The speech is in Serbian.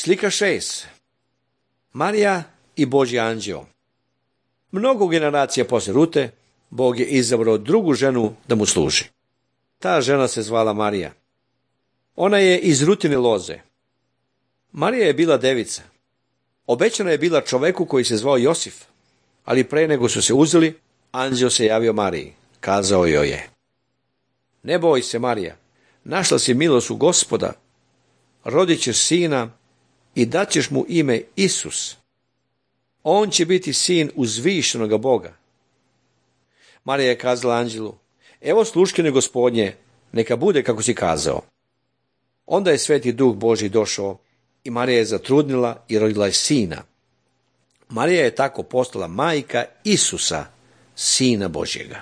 Slika 6. Marija i Božji anđeo. Mnogo generacija posle Rute, Bog je izabrao drugu ženu da mu služi. Ta žena se zvala Marija. Ona je iz Rutine loze. Marija je bila devica. Obećana je bila čoveku koji se zvao Josif, ali pre nego su se uzeli, anđeo se javio Mariji. Kazao joj je: ne boj se, Marija, našla si milost u Gospoda, rodit ćeš sina i daćeš mu ime Isus. On će biti sin uzvišenoga Boga. Marija je kazala anđelu: evo sluškinje Gospodnje, neka bude kako si kazao. Onda je Sveti Duh Božji došao i Marija je zatrudnila i rodila je sina. Marija je tako postala majka Isusa, Sina Božjega.